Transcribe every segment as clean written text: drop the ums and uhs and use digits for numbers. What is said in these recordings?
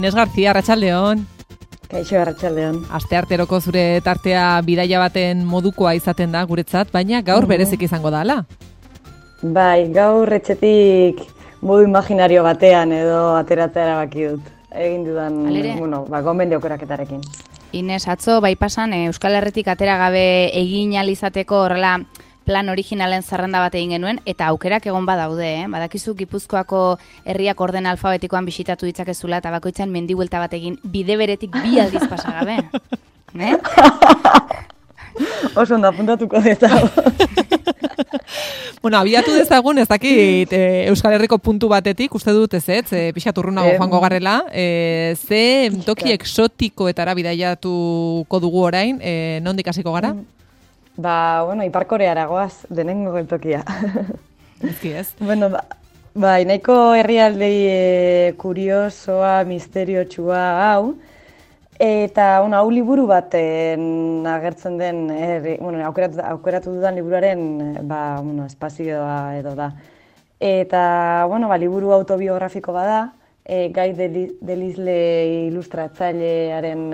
Inés García, arratsaldeon. Kaixo, arratsaldeon. Astearteroko zure tartea bidaia baten modukoa izaten da guretzat, baina gaur berezik izango da, ala? Bai, gaur etxetik modu imaginario batean edo ateratzea erabaki dut. Egin dudan, gomendio aukeraketarekin. Inés, atzo, bai pasan, Euskal Herritik atera gabe egin ahal izateko horrela plan originalen zerrenda bat egin genuen, eta aukerak egon badaude, Badakizu Gipuzkoako herriak orden alfabetikoan bisitatu ditzakezula, eta bakoitzan mendibuelta bat egin bide beretik 2 aldiz pasa gabe. Oso ondo apuntatuko dezago. Bueno, abiatu dezagun, ez dakit Euskal Herriko puntu batetik, uste dut ez, pixat urrunago joango garrela, ze toki exotikoetara bidaiatuko dugu orain, nondik hasiko gara? Ipar Koreara goaz, denengo tokia. Ezki ez? Nahiko herrialdei kuriosoa, misteriotsua hau, eta hau liburu baten agertzen den, aukeratu dudan liburuaren espazioa edo da. Eta, liburu autobiografiko bada, Gai Delisle ilustratzailearen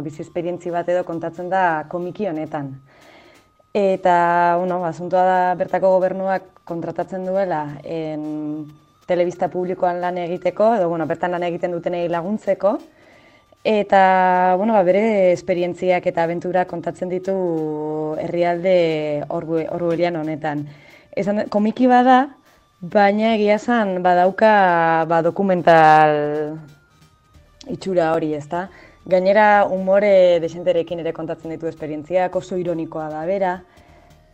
bizi esperientzi bat edo kontatzen da komiki honetan. Eta, asuntoa da bertako gobernuak kontratatzen duela telebista publikoan lan egiteko, edo, bertan lan egiten dutenei laguntzeko, eta, bere esperientziak eta abenturak kontatzen ditu herrialde orwellian honetan. Komiki bada, baina egia esan badauka dokumental itxura hori, ezta? Gainera, umore desenterekin ere kontatzen ditu esperientziak, oso ironikoa da bera.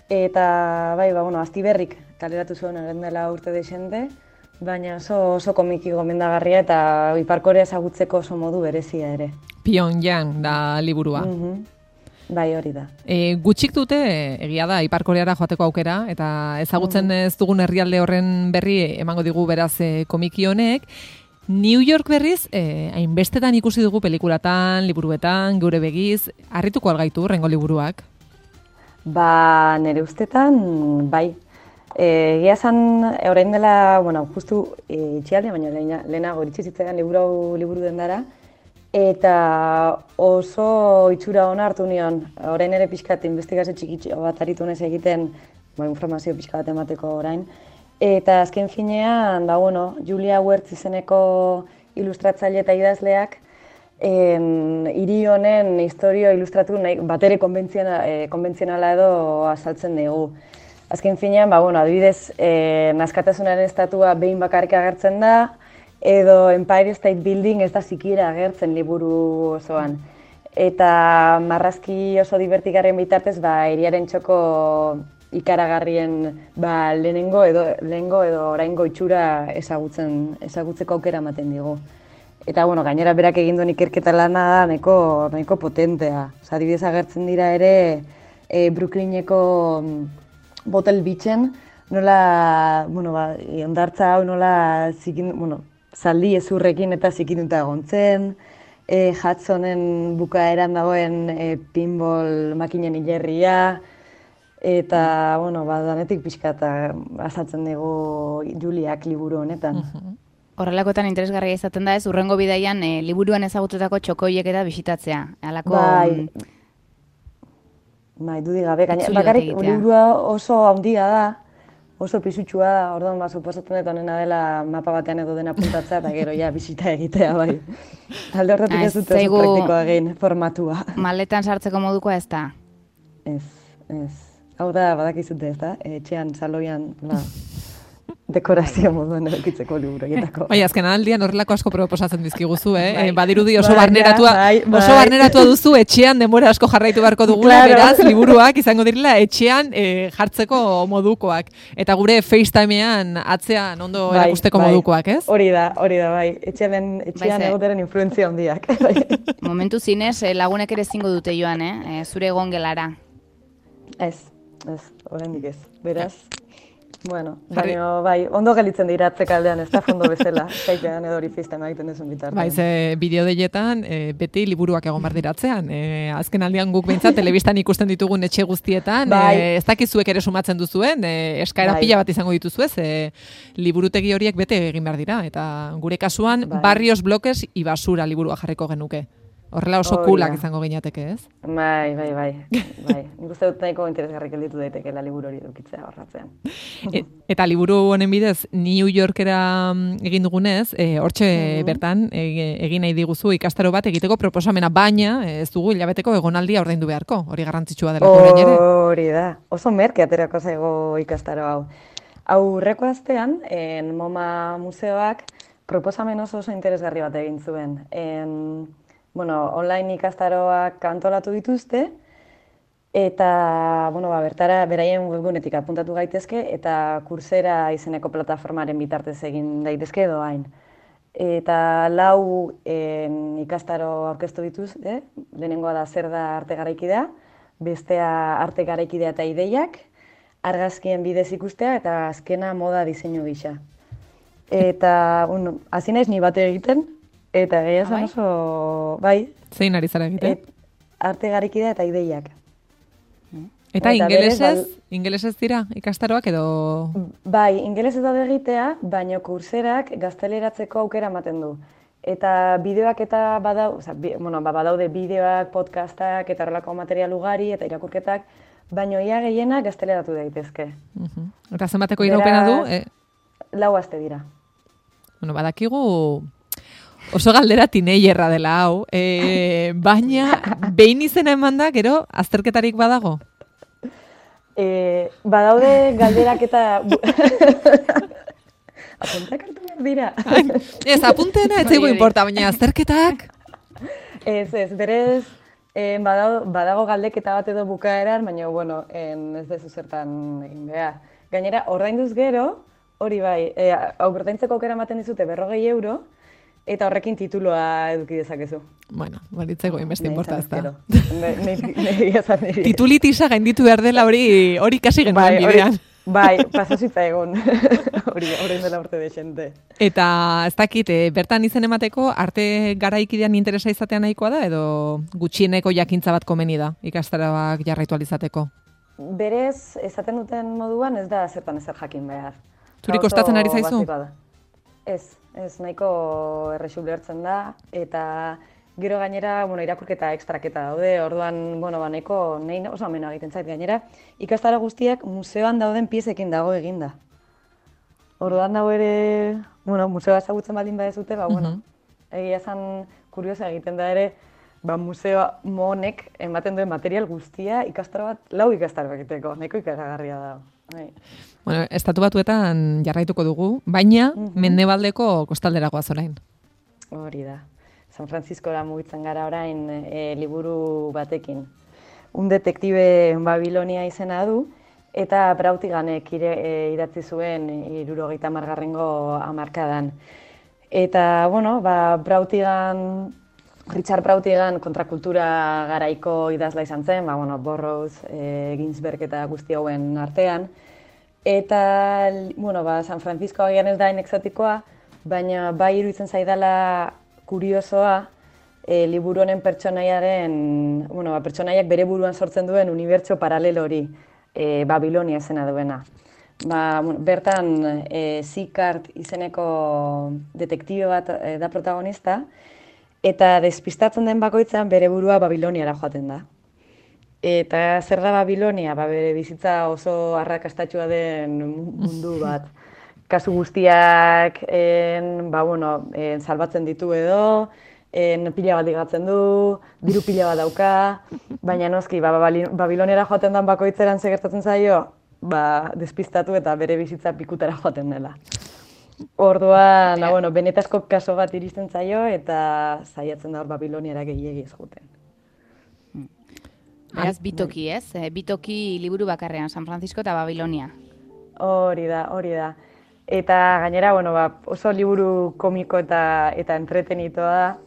Eta, Astiberrik kaleratu zuen egin dela urte desente, baina oso komiki gomendagarria eta Ipar Korea ezagutzeko oso modu berezia ere. Pyongyang da liburua. Bai, hori da. Gutxik dute, egia da, Ipar Koreara joateko aukera, eta ezagutzen ez dugun herrialde horren berri emango digu beraz komiki honek. New York berriz, hainbestetan ikusi dugu pelikulatan, liburuetan, geure begiz, harrituko algaitu rengo liburuak? Nere ustetan, bai. Egia esan, orain dela, justu itxialde, baina lehenago iritsi zitzaidan liburu dendara, eta oso itxura ona hartu nion. Orain ere pixkat investigazio txikitxo bat aritu nez egiten, informazio pixka bat emateko orain. Eta azken finean, Julia Wertz izeneko ilustratzaile eta idazleak hiri honen historio ilustratu batere konbentzionala edo azaltzen dugu. Azken finean, adibidez, Askatasunaren estatua behin bakarrik agertzen da, edo Empire State Building ez da sikiera agertzen liburu osoan. Eta marrazki oso divertigarrien bitartez, hiriaren txoko ikaragarrien lehenengo edo oraingo itxura ezagutzeko aukera ematen digu. Eta, gainera berak egin duen ikerketa lana da nahiko potentea. Adibidez agertzen dira ere Brooklyneko Botel Beachen, nola, hondartza hau nola zaldi ezurrekin eta zikinduta egon zen, Hudsonen bukaeran dagoen pinball makinen hilerria, eta, danetik pixka eta azaltzen dugu Juliak liburu honetan. Horrelakoetan interesgarria izaten da ez, hurrengo bidaian liburuan ezagututako txokoiek eta bisitatzea. Bai, dudik gabe, bakarrik liburua oso handia da, oso pisutsua da, orduan suposatzen dut honena dela mapa batean edo dena puntatzea, eta gero bisita egitea, bai. Alde horretik ez dut oso praktikoa egin formatua. Maletan sartzeko modukoa ez da? Ez. Hau da, badakizute ez da, etxean, saloian, dekorazio moduan edukitzeko liburuetako. Bai, azken aldian horrelako asko proposatzen dizkiguzu, Badirudi oso barneratua duzu, etxean denbora asko jarraitu beharko dugula, beraz, liburuak izango direla etxean jartzeko modukoak. Eta gure FaceTimean atzean ondo erakusteko modukoak, ez? Hori da, bai. Etxean egoteren influentzia handiak. Momentu zinez, lagunek ere zingo dute joan, zure egon gelara. Ez, oraindik ez. Beraz, Bueno, baina bai, ondo gelitzen dira atzekaldean, ez da fondo bezala, zaitean edo hori fistan egiten duzun bitartean. Bai, ze bideo deietan beti liburuak egon behar diratzean. Azken aldian guk behintzat telebistan ikusten ditugun etxe guztietan, ez dakizuek ere sumatzen duzuen, eskaera pila bat izango dituzuez, liburutegi horiek bete egin behar dira. Eta gure kasuan, Barrios Bloques y Basura liburua jarriko genuke. Horrela oso kulak izango gineateke, ez? Bai. Nik uste dut nahiko interesgarrik gelditu daitekeela liburu hori edukitzea horratzean. Eta liburu honen bidez, New Yorkera egin dugunez, hortxe bertan egin nahi diguzu ikastaro bat egiteko proposamena, baina ez dugu hilabeteko egonaldia ordaindu beharko, hori garrantzitsua dela orain ere. Hori da, oso merke aterako zaigo ikastaro hau. Aurreko astean, MoMA museoak proposamen oso interesgarri bat egin zuen. Online ikastaroak antolatu dituzte, eta bertara beraien webgunetik apuntatu gaitezke, eta Coursera izeneko plataformaren bitartez egin daitezke doain. Eta 4 ikastaro aurkeztu dituzte, lehenengoa da zer da arte garaikidea, bestea arte garaikidea eta ideiak, argazkien bidez ikustea, eta azkena moda diseinu gisa. Eta, hasi naiz ni bate egiten, eta gehiago zen oso, bai. Zein ari zara egiten? Arte garaikidea eta ideiak. Eta ingelesez dira ikastaroak edo? Bai, ingelesez daude egitea, baina Courserak gazteleratzeko aukera ematen du. Eta bideoak eta badaude bideoak, podcastak eta horrelako material ugari eta irakurketak, baina ia gehienak gazteleratu daitezke. Eta zenbateko iraupena du? 4 aste dira. Badakigu oso galdera tineilerra dela hau, baina behin izena eman da, gero, azterketarik badago? Badaude galderak eta... Apunteak hartu behar dira. Ez, apunteena ez zaigu importa, baina azterketak... Ez, berez, badago galdeketa bat edo bukaeran, baina, ez dezu zertan egin behar. Gainera, ordainduz gero, hori bai, ordaintzeko aukera ematen dizute 40 euro, eta horrekin tituloa eduki dezakezu. Bueno, balitzeko inbeste inporta ez da. Titulitisa gainditu behar dela hori kasi genuen bidean. Bai, pasazitza egon. Hori dela urte desente. Eta ez dakit, bertan izen emateko arte garaikidean interesa izatea nahikoa da, edo gutxieneko jakintza bat komeni da ikastaroak jarraitu alizateko? Berez, esaten duten moduan ez da zertan ezer jakin behar. Zuri kostatzen ari zaizu? Ez, nahiko errexu ulertzen da, eta gero gainera, irakurketa ekstraketa daude, orduan, nahiko oso amena egiten zait gainera, ikastaro guztiak museoan dauden piezekin dago eginda. Orduan dago ere, museoa ezagutzen baldin badezute, egia esan kuriosa egiten da ere, museo honek ematen duen material guztia ikastaro bat, 4 ikastaro egiteko, nahiko ikaragarria da. Estatu Batuetan jarraituko dugu, baina mendebaldeko kostalderagoa zorain. Hori da. San Franciscora mugitzen gara orain liburu batekin. Un detektibe Babilonia izena du, eta Brautiganek idatzi zuen 70. hamarkadan. Eta, Richard Brautigan kontrakultura garaiko idazla izan zen, Burroughs, Ginsberg eta guzti hauen artean. Eta, San Francisco agian ez da exotikoa, baina bai iruditzen zaidala kuriosoa liburu honen pertsonaiak bere buruan sortzen duen unibertso paralelo hori, Babilonia izena duena. Bertan, Sicard izeneko detektibe bat da protagonista, eta despistatzen den bakoitzan bere burua Babiloniara joaten da. Eta zer da Babilonia? Bere bizitza oso arrakastatxua den mundu bat. Kasu guztiak salbatzen ditu edo, pila bat ligatzen du, diru pila bat dauka, baina noski, Babiloniara joaten den bakoitzeran segertatzen zaio, despistatu eta bere bizitza pikutara joaten dela. Orduan, benetazko kaso bat iristen zaio eta saiatzen da hor Babiloniara gehiegi ez joten. Beraz, bitoki, ez? Bitoki liburu bakarrean, San Francisco eta Babilonia. Hori da. Eta gainera, oso liburu komiko eta entretenitoa da.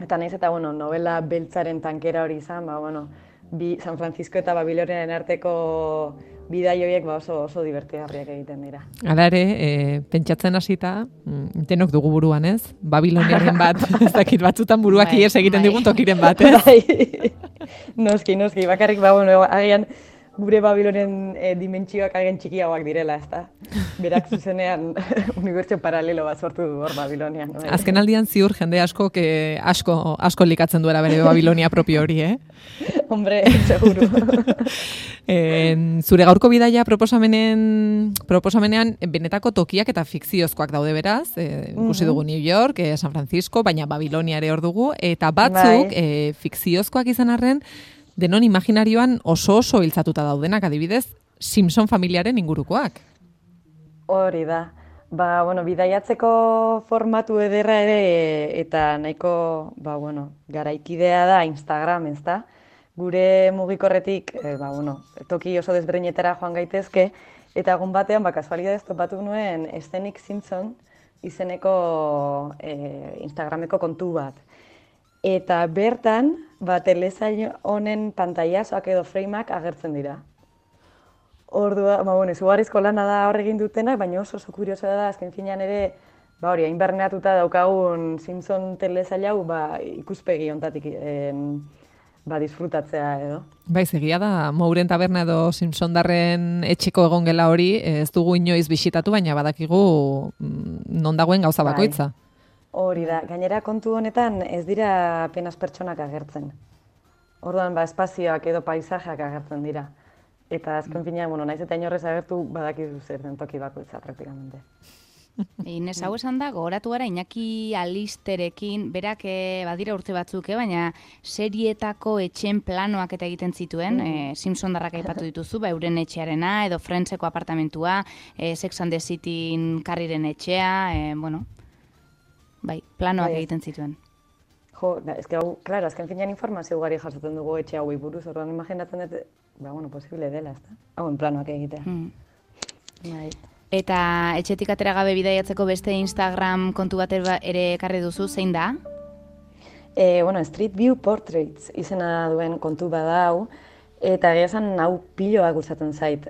Eta nahiz eta, novela beltzaren tankera hori izan, San Francisco eta Babiloniaren arteko bidai horiek oso divertigarriak egiten dira. Hala ere, pentsatzen hasita, denok dugu buruan, ez? Babiloniaren bat, ez dakit batzutan buruak ies egiten digun tokiren bat, ez? Bai. Noski, bakarrik, agian gure Babilonen dimentsioak agian txikiagoak direla, ezta? Berak zuzenean unibertsio paralelo bat sortu du hor Babilonian. No? Azken aldian ziur jende asko likatzen duela bere Babilonia propio hori, eh? Hombre, seguru. Zure gaurko bidaia proposamenean benetako tokiak eta fikziozkoak daude beraz, ikusi dugu New York, San Francisco, baina Babilonia ere hor dugu, eta batzuk fikziozkoak izan arren, denon imaginarioan oso hiltzatuta daudenak, adibidez, Simpson familiaren ingurukoak. Hori da. Bidaiatzeko formatu ederra ere eta nahiko, garaikidea da Instagram, ezta? Gure mugikorretik, toki oso desberdinetara joan gaitezke, eta egun batean, kasualidadez topatu nuen Scenic Simpson izeneko Instagrameko kontu bat. Eta bertan, telesail honen pantailazoak edo frameak agertzen dira. Ordua, izugarrizko lana da hor egin dutenak, baina oso kuriosoa da, azken finean ere, hain barneatuta daukagun Simpson telesail hau, ikuspegi hontatik disfrutatzea edo. Egia da, Mouren taberna edo Simpsondarren etxeko egon gela hori, ez dugu inoiz bisitatu, baina badakigu non dagoen gauza bakoitza. Hori da, gainera kontu honetan ez dira apenas pertsonak agertzen. Orduan, espazioak edo paisajeak agertzen dira. Eta azken finean, naiz eta inorrez agertu badakizu zer den toki bakoitza praktikamente. Inez, hau esan da, gogoratu gara Iñaki Alisterekin, berak badira urte batzuk, baina serietako etxen planoak eta egiten zituen, Simpsondarrak aipatu dituzu, euren etxearena, edo Friendseko apartamentua, Sex and the Cityn Carrieren etxea, planoak egiten zituen. Azken finean informazio ugari jasotzen dugu etxe hauei buruz, orduan imaginatzen dut, posible dela, ezta? Hauen planoak egitea. Eta etxetik atera gabe bidaiatzeko beste Instagram kontu bat ere ekarri duzu, zein da? Street View Portraits izena duen kontu bada hau, eta egia esan hau piloa gustatzen zait.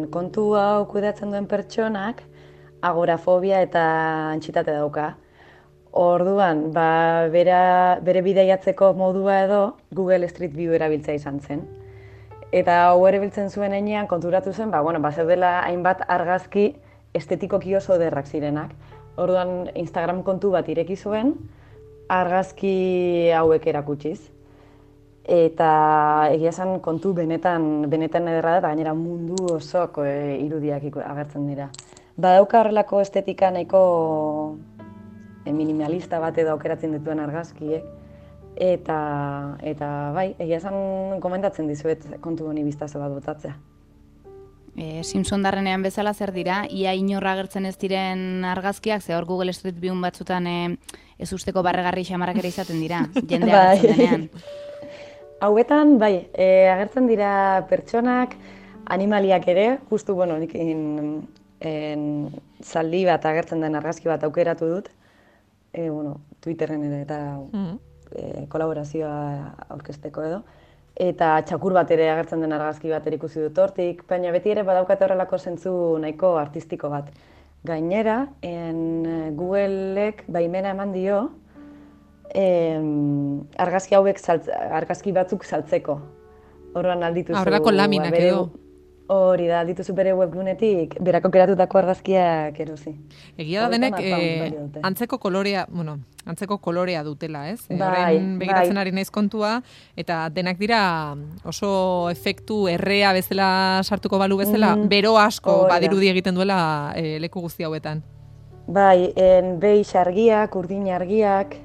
Kontu hau kudeatzen duen pertsonak agorafobia eta antxitate dauka. Orduan, bere bidaiatzeko modua edo Google Street View erabiltzea izan zen. Eta hau erabiltzen zuen heinean konturatu zen, zeudela hainbat argazki estetikoki oso ederrak zirenak. Orduan, Instagram kontu bat ireki zuen, argazki hauek erakutsiz. Eta egia esan kontu benetan ederra da, eta gainera mundu osoko irudiak agertzen dira. Badauka horrelako estetika nahiko minimalista bat edo aukeratzen dituen argazkiek. Eta egia esan komentatzen dizuet kontu honi biztazo bat botatzea. Simpsondarrenean bezala zer dira, ia inorra agertzen ez diren argazkiak, ze hor Google Street View batzutan ez usteko barregarri xamarrak ere izaten dira, jende agertzen denean. Hauetan, agertzen dira pertsonak, animaliak ere, justu, nik zaldi bat agertzen den argazki bat aukeratu dut, Twitterren ere eta kolaborazioa aurkezteko edo, eta txakur bat ere agertzen den argazki bat ikusi dut hortik, baina beti ere badaukate horrelako zentzu nahiko artistiko bat. Gainera, Googleek baimena eman dio argazki batzuk saltzeko. Horren aldituzu... Horrelako laminak edo. Hori da, aldituzu bere webgunetik, berako keratutako argazkiak erosi. Egia da denek, antzeko kolorea dutela, ez? Horrein begiratzen ari naiz kontua, eta denak dira oso efektu errea bezala sartuko balu bezala, bero asko badirudi egiten duela leku guzti hauetan. Beige argiak, urdin argiak,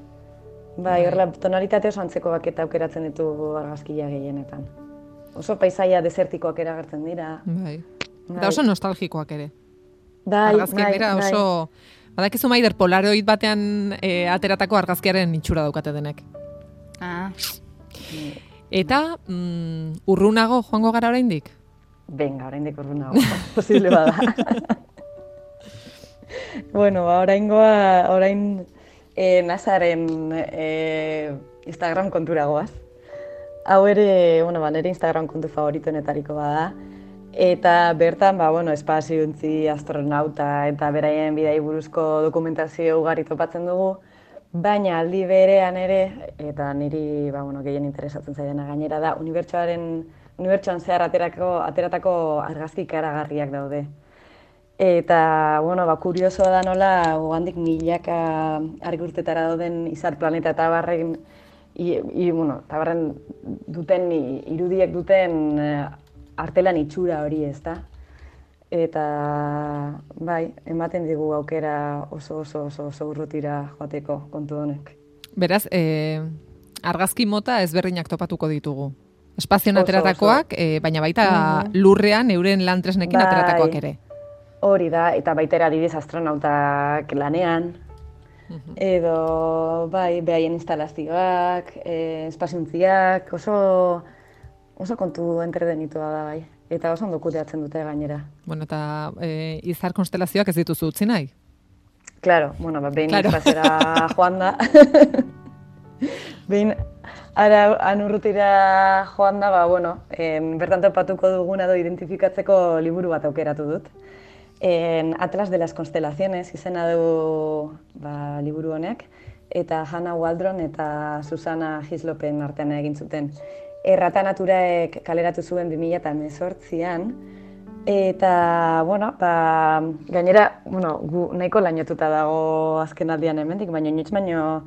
horrela tonalitate oso antzekoak eta aukeratzen ditu argazkia gehienetan. Oso paisaia desertikoak eragertzen dira. Eta oso nostalgikoak ere. Argazkiak dira oso... Badakizu Maider, polaroid batean ateratako argazkiaren itxura daukate denek. Eta urrunago joango gara oraindik? Venga, oraindik urrunago. Posible bada. Orain Nazaren Instagram kontura goaz. Hau ere, nire Instagram kontu favoritoenetariko bada. Eta bertan, espaziontzi, astronauta eta beraien bidai buruzko dokumentazio ugari topatzen dugu, baina aldi berean ere, eta niri gehien interesatzen zaidana gainera da, unibertsoan zehar ateratako argazki ikaragarriak daude. Eta, kuriosoa da nola, handik milaka argi urtetara dauden izar planeta eta barren, duten, irudiek duten artelan itxura hori, ezta? Eta, ematen digu aukera oso urrutira joateko kontu honek. Beraz, argazki mota ezberdinak topatuko ditugu. Espazioan ateratakoak, baina baita lurrean euren lan tresnekin ateratakoak ere. Hori da, eta baita adibidez astronautak lanean, edo behaien instalazioak, espaziontziak, oso kontu entretenitua da bai. Eta oso ondo kudeatzen dute gainera. Bueno, eta izar konstelazioak ez dituzu utzi nahi? Claro, behin izpazera joan da. Behin anurrutira joan da, bertan topatuko duguna edo identifikatzeko liburu bat aukeratu dut. Atlas de las Constelaciones izena du liburu honek, eta Hannah Waldron eta Susana Hislopen artean egin zuten. Errata Naturaek kaleratu zuen 2018an, eta, gainera, gu nahiko lainotuta dago azken aldian hemendik, baino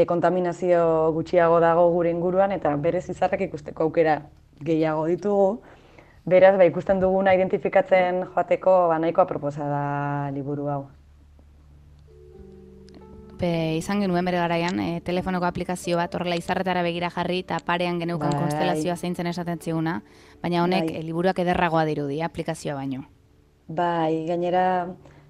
kontaminazio gutxiago dago gure inguruan, eta berez izarrak ikusteko aukera gehiago ditugu. Beraz, ikusten duguna identifikatzen joateko nahiko aproposa da liburu hau. Izan genuen bere garaian, telefonoko aplikazio bat horrela izarretara begira jarri eta parean geneukan konstelazioa zeintzen esaten ziguna, baina honek liburuak ederragoa dirudi, aplikazioa baino. Gainera,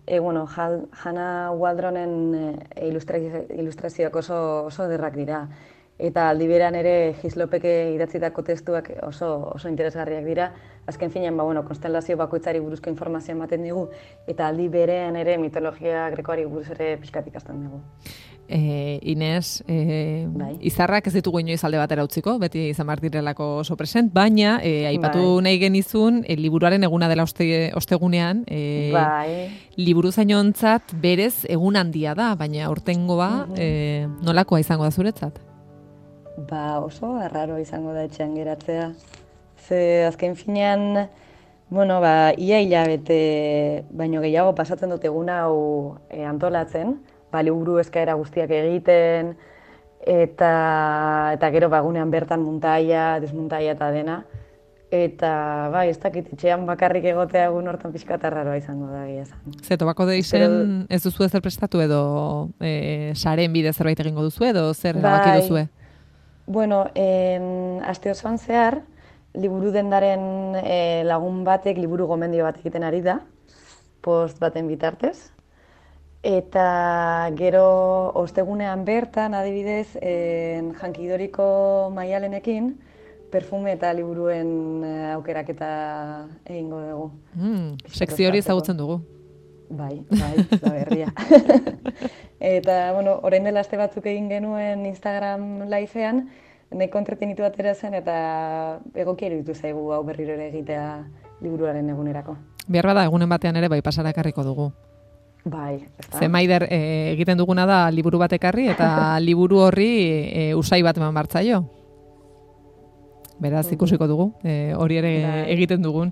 Hannah Waldronen ilustrazioak oso ederrak dira. Eta aldi beran ere Hislopek idatzitako testuak oso interesgarriak dira. Azken finean, konstelazio bakoitzari buruzko informazioa ematen digu, eta aldi berean ere mitologia grekoari buruz ere pixkat ikasten dugu. Ines, izarrak ez ditugu inoiz alde batera utziko, beti izan behar direlako oso present, baina aipatu nahi genizun, liburuaren eguna dela ostegunean, liburuzainontzat berez egun handia da, baina aurtengoa nolakoa izango da zuretzat? Oso arraro izango da etxean geratzea. Ze azken finean, ia hilabete baino gehiago pasatzen dut egun hau antolatzen, liburu eskaera guztiak egiten, eta gero egunean bertan muntaia, desmuntaia eta dena. Eta ez dakit etxean bakarrik egotea egun hortan pixkat arraroa izango da egia esan. Ze tobako deizen ez duzu ezer prestatu edo saren bidez zerbait egingo duzu edo zer erabaki duzue? Aste osoan zehar, liburu dendaren lagun batek liburu gomendio bat egiten ari da, post baten bitartez. Eta gero ostegunean bertan, adibidez, jankidoriko Maialenekin, perfume eta liburuen aukeraketa egingo dugu. Sekzio hori ezagutzen dugu. Bai, da berria. Eta, orain dela aste batzuk egin genuen Instagram livean, nahiko entretenitu atera zen eta egokia iruditu zaigu hau berriro ere egitea liburuaren egunerako. Behar bada egunen batean ere pasara ekarriko dugu. Ezta? Zemaider egiten duguna da liburu bat ekarri eta liburu horri usai bat eman bartzaio. Beraz, ikusiko dugu, hori ere egiten dugun.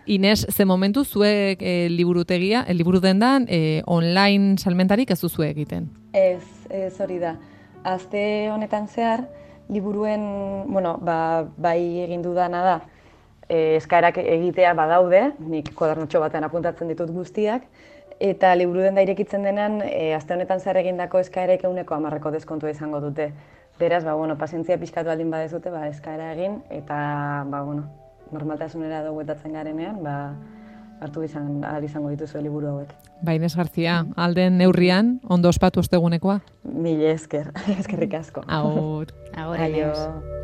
Ines, ze momentu zuek liburu dendan, online salmentarik ez duzu egiten? Ez hori da. Aste honetan zehar, liburuen, bai egin dudana da, eskaerak egitea badaude, nik kodernotxo batean apuntatzen ditut guztiak, eta liburu denda irekitzen denan, aste honetan zehar egindako eskaerek 10% deskontua izango dute. Beraz, pazientzia pixkatu aldin badezute, eskaera egin, eta, normaltasunera bueltatzen garenean, hartu izango dituzu liburu hauek. Ines García, alden neurrian, ondo ospatu ostegunekoa? Mila esker, eskerrik asko. Agur. Agur, Ines.